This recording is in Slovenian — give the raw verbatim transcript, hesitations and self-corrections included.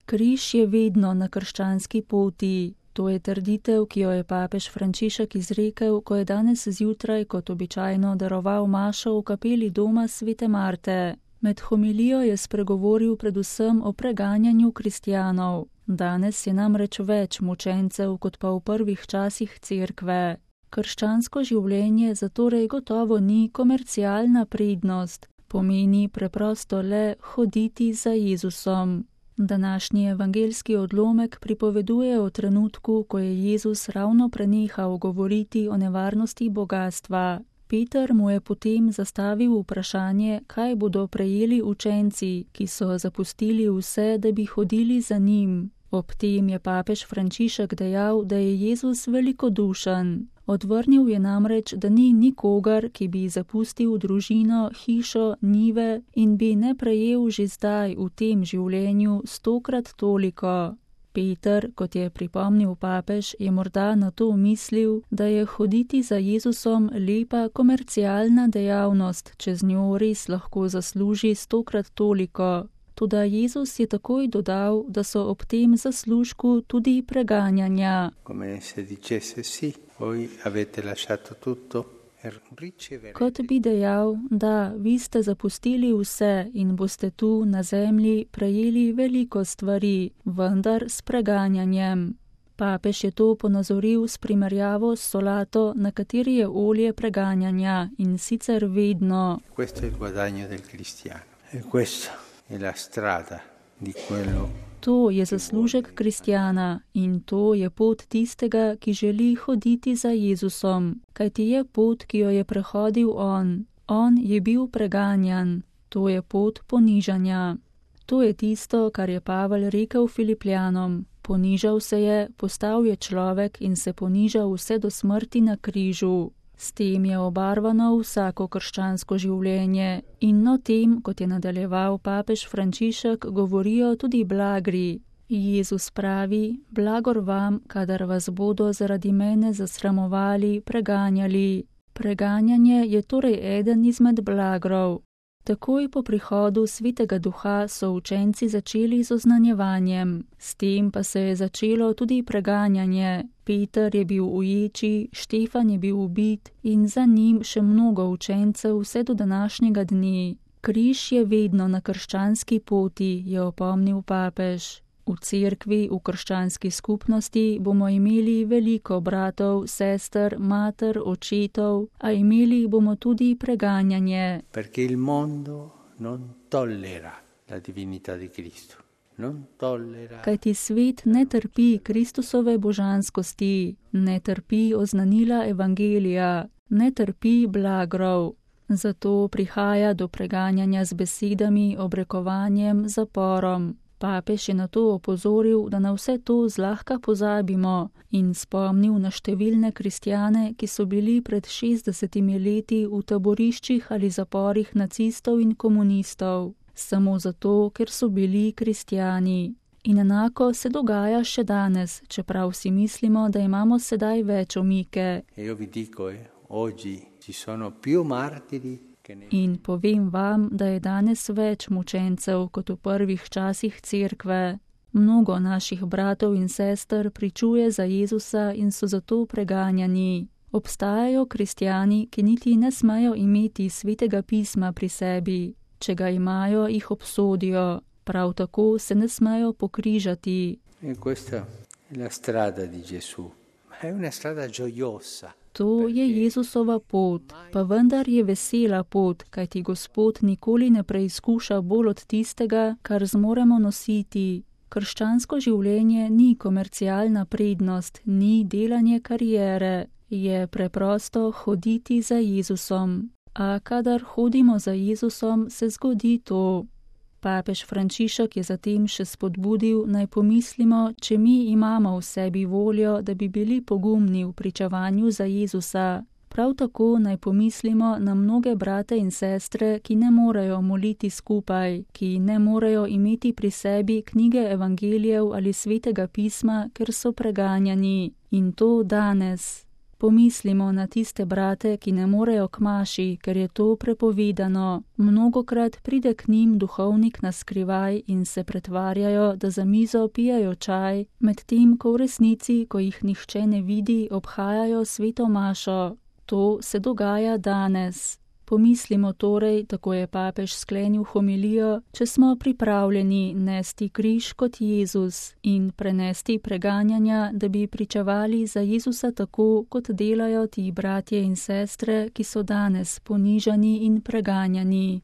Križ je vedno na krščanski poti. To je trditev, ki jo je papež Frančišek izrekel, ko je danes zjutraj kot običajno daroval mašo v kapeli doma svete Marte. Med homilijo je spregovoril predvsem o preganjanju kristjanov. Danes je namreč več mučencev kot pa v prvih časih cerkve. Krščansko življenje zatorej gotovo ni komercialna prednost, pomeni preprosto le hoditi za Jezusom. Današnji evangeljski odlomek pripoveduje o trenutku, ko je Jezus ravno prenehal govoriti o nevarnosti bogastva. Peter mu je potem zastavil vprašanje, kaj bodo prejeli učenci, ki so zapustili vse, da bi hodili za njim. Ob tem je papež Frančišek dejal, da je Jezus velikodušen. Odvrnil je namreč, da ni nikogar, ki bi zapustil družino, hišo, njive in bi ne prejel že zdaj v tem življenju stokrat toliko. Peter, kot je pripomnil papež, je morda na to mislil, da je hoditi za Jezusom lepa komercialna dejavnost, če z njo res lahko zasluži stokrat toliko. Toda Jezus je takoj dodal, da so ob tem zaslužku tudi preganjanja. Kot bi dejal, da vi ste zapustili vse in boste tu na zemlji prejeli veliko stvari, vendar s preganjanjem. Papež je to ponazoril s primerjavo s solato, na kateri je olje preganjanja in sicer vedno. To je zaslužek kristjana in to je pot tistega, ki želi hoditi za Jezusom, kajti je pot, ki jo je prehodil on. On je bil preganjan. To je pot ponižanja. To je tisto, kar je Pavel rekel Filipljanom. Ponižal se je, postal je človek in se ponižal vse do smrti na križu. S tem je obarvano vsako krščansko življenje in o tem, kot je nadaljeval papež Frančišek, govorijo tudi blagri. Jezus pravi, blagor vam, kadar vas bodo zaradi mene zasramovali, preganjali. Preganjanje je torej eden izmed blagrov. Takoj po prihodu Svetega Duha so učenci začeli z oznanjevanjem. S tem pa se je začelo tudi preganjanje. Peter je bil v ječi, Štefan je bil ubit in za njim še mnogo učencev vse do današnjega dne. Križ je vedno na krščanski poti, je opomnil papež. V cerkvi, v krščanski skupnosti bomo imeli veliko bratov, sester, mater, očetov, a imeli bomo tudi preganjanje. Perché il mondo non tollera la divinità di Cristo. Non tollera. Kajti svet ne trpi Kristusove božanskosti, ne trpi oznanila evangelija, ne trpi blagrov. Zato prihaja do preganjanja z besedami, obrekovanjem, zaporom. Papež je na to opozoril, da na vse to zlahka pozabimo in spomnil na številne kristjane, ki so bili pred šestdesetimi leti v taboriščih ali zaporih nacistov in komunistov, samo zato, ker so bili kristjani. In enako se dogaja še danes, čeprav si mislimo, da imamo sedaj več omike. Io vi dico, eh, oggi ci sono più martiri. In povem vam, da je danes več mučencev kot v prvih časih cerkve. Mnogo naših bratov in sester pričuje za Jezusa in so zato preganjani. Obstajajo kristjani, ki niti ne smejo imeti svetega pisma pri sebi. Če ga imajo, jih obsodijo. Prav tako se ne smejo pokrižati. E questa è la strada di Gesù. È una strada gioiosa. To je Jezusova pot, pa vendar je vesela pot, kajti Gospod nikoli ne preizkuša bolj od tistega, kar zmoremo nositi. Krščansko življenje ni komercialna prednost, ni delanje kariere, je preprosto hoditi za Jezusom. A kadar hodimo za Jezusom, se zgodi to. Papež Frančišek je zatem še spodbudil, naj pomislimo, če mi imamo v sebi voljo, da bi bili pogumni v pričevanju za Jezusa. Prav tako naj pomislimo na mnoge brate in sestre, ki ne morejo moliti skupaj, ki ne morejo imeti pri sebi knjige evangelijev ali svetega pisma, ker so preganjani. In to danes. Pomislimo na tiste brate, ki ne morejo k maši, ker je to prepovedano. Mnogokrat pride k njim duhovnik na skrivaj in se pretvarjajo, da za mizo pijajo čaj, medtem ko v resnici, ko jih nihče ne vidi, obhajajo sveto mašo. To se dogaja danes. Pomislimo torej, tako je papež sklenil homilijo, če smo pripravljeni nesti križ kot Jezus in prenesti preganjanja, da bi pričevali za Jezusa tako, kot delajo ti bratje in sestre, ki so danes ponižani in preganjani.